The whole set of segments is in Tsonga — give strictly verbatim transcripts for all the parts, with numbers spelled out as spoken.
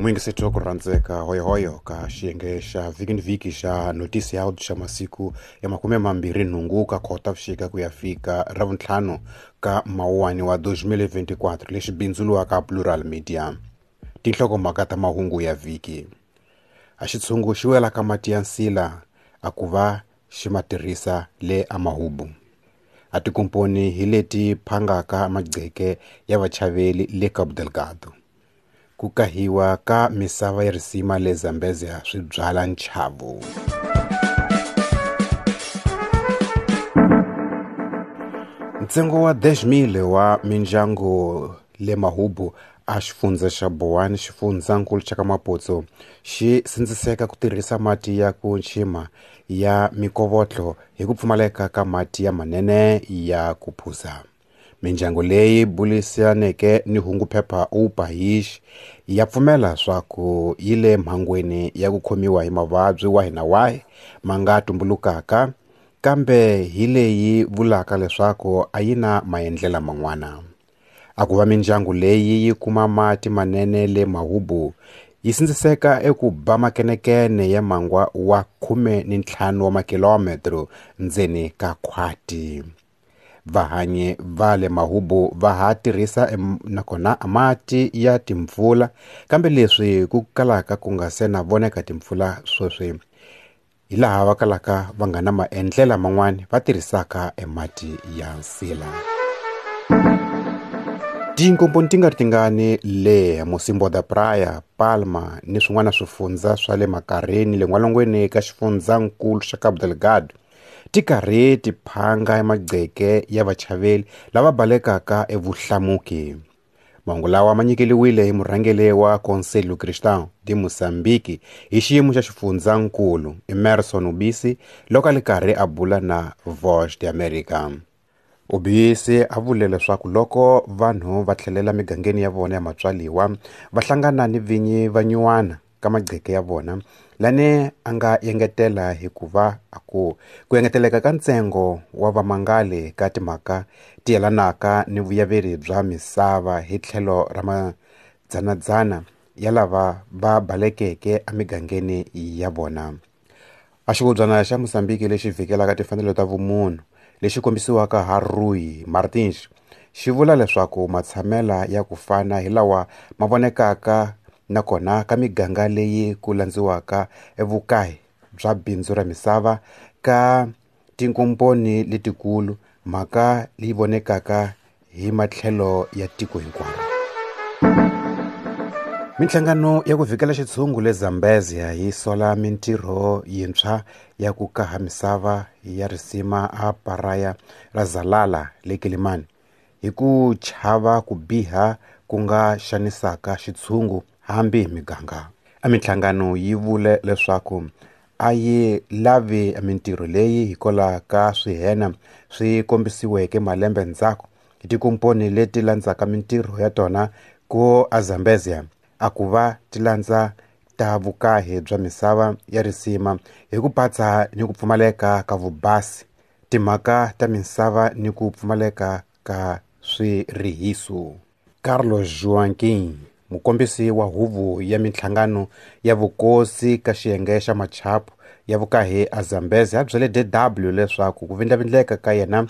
Muyingiseti wa ku rhandzeka hoyohoyo ka xiyenge xa vhiki ni vhiki xa Notisi ya xa masiku ya makume mambirhi nhungu ka Khotavuxika ku ya fika ravuntlhanu ka Mawuwani wa twenty twenty-four lexi bindzuriwaka Plural Media. Tinhlokomhaka ta mahungu ya vhiki. A xitshungu xi wela ka mati ya nsila a ku va xi ma tirhisa le amahubu. A tikomponi hi leti phangaka magceke ya vachaveli le Cabo Delgado. Ku kahiwa ka misava ya risima le Zambezia swi byala nchavo. Ntsengo wa dez mil wa mindyangu le Mahubu a xifundza xa Boane xifundzankulu xa ka Maputo xi sindziseka ku tirhisa mati ya ku nchima ya mikovotlo hi ku pfumaleka ka mati ya manene ya ku phuza. Mindyangu leyi bulisaneke ni hungu phepha O País ya pfumela swa ku yi le mhangweni ya ku khomiwa hi mavabyi wahi na wahi ma nga tumbulukaka, kambe hi leyi vulaka leswaku a yi na maendlela man'wana. A ku va mindyangu leyi yi kuma mati manene le Mahubu yi sindziseka eku ba makenekene ya mangwa wa khume ni ntlhanu wa makilometro ndzeni ka khwati. Vahanyi va le Mahubu va ha tirhisa nakona mati ya timpfula, kambe leswi ku kalaka ku nga se na voneka timpfula sweswi hi laha va kalaka va nga na maendlela man'wani va tirhisaka emati ya nsila. Tinkomponi ti nga ri tingani le Mocimboa da Praia, Palma ni swin'wana swifundza swa le Makareni le n'walungwini ka xifundzankulu xa Cabo Delgado ti karhi ti phanga magceke ya vachaveli lava balekaka evuhlamuki. Mahungu lawa ma nyikeliwile hi murhangeri wa Conselho Cristão de Moçambique hi xiyimo xa xifundzankulu Emerson Ubisi loko a li karhi a bula na Voz de América. Ubisi a vule leswaku loko vanhu va tlhelela migangeni ya vona ya matswaliwa va hlangana ni vinyi va nyuwana ka magceke ya vona, lani a nga engetela hikuva a ku ku engeteleka ka ntsengo wa vamangali ka timhaka ti yelanaka ni vuyaveri bya misava hi tlhelo ra madzanadzana ya lava va balekeke emigangeni ya vona. A xivubyana xa Mozambique lexi vhikelaka timfanelo ta vumunhu lexi kombisiwaka ha Rui Martins xi vula leswaku matshamela ya ku fana hi lawa ma vonekaka nakona ka miganga leyi ku landziwaka evukahi bya bindzu ra misava ka tinkomponi letikulu, mhaka leyi vonekaka hi matlhelo ya tiko hinkwaro. Minhlangano ya ku vhikela xitshungu le Zambezia yi sola mintirho yintshwa ya ku kaha misava ya risima a Paraya ra Zalala le Kilimani hi ku chava ku biha ku nga xanisaka xitshungu hambi hi miganga. A minhlangano yi vule leswaku a yi lavi mintirho leyi hikwalaho ka swihena swi kombisiweke malembe ndzhaku hi tikomponi leti landzaka mintirho ya tona ku a Zambezia a ku va ti landza ta vukahi bya misava ya risima hi ku patsa ni ku pfumaleka ka vubasi, timhaka ta misava ni ku pfumaleka ka swirihiso. Carlos Joaquim, mukombisi wa huvo ya minhlangano ya vukosi ka xiyenge xa machapu ya vukahi a Zambezi a byele D W leswaku ku vindlavindleka ka yena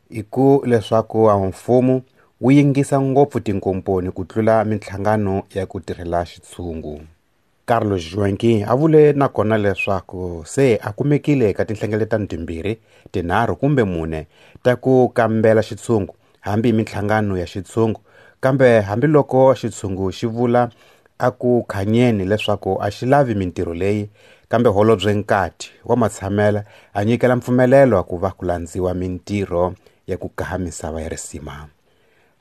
i ku leswaku a mfumo wu yingisa ngopfu tinkomponi ku tlula minhlangano ya ku tirhela xitshungu. Carlos Joaquim a vule nakona leswaku se a kumekile eka tinhlengeletano timbirhi, tinharhu kumbe mune ta ku kambela xitshungu hambi hi minhlangano ya xitshungu, kambe hambiloko xitshungu xi vula a ku khanyeni leswaku a xi lavi mintirho leyi, kambe holobye Nkati wa matshamela a nyikela mpfumelelo ku va ku landziwa mintirho ya ku kaha misava ya risima.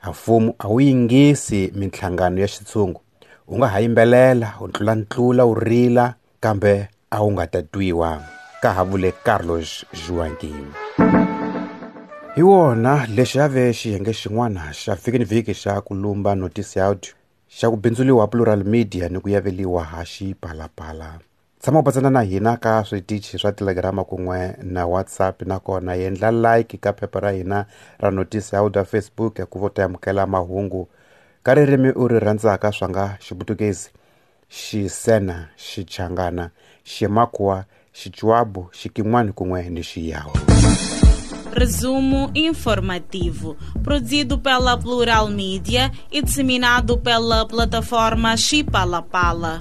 A mfumo a wu yingisi minhlangano ya xitshungu, u nga ha yimbelela, u ntlulantlula, u rila, kambe a wu nga ta twiwa, ka ha vule Carlos Joaquim. Hi wona lexi a ve xiyenge xin'wana xa vhiki ni vhiki xa ku lumba Notisi ya Audio xa ku bindzuriwa Plural Media ni ku yaveliwa ha Xipalapala. Tshama u batsana na hina ka switichi swa Telegram kun'we na WhatsApp, nakona endla like ka phepha ra hina ra Notisi ya Audio Facebook ku vo ta amukela mahungu ka ririmi u ri rhandzaka swa nga Xiputukezi, Xisena, Xichangana, Ximakua, Xichuabu, Xikin'wana kun'we ni Xiyawu. Resumo informativo, produzido pela Plural Mídia e disseminado pela plataforma Chipalapala.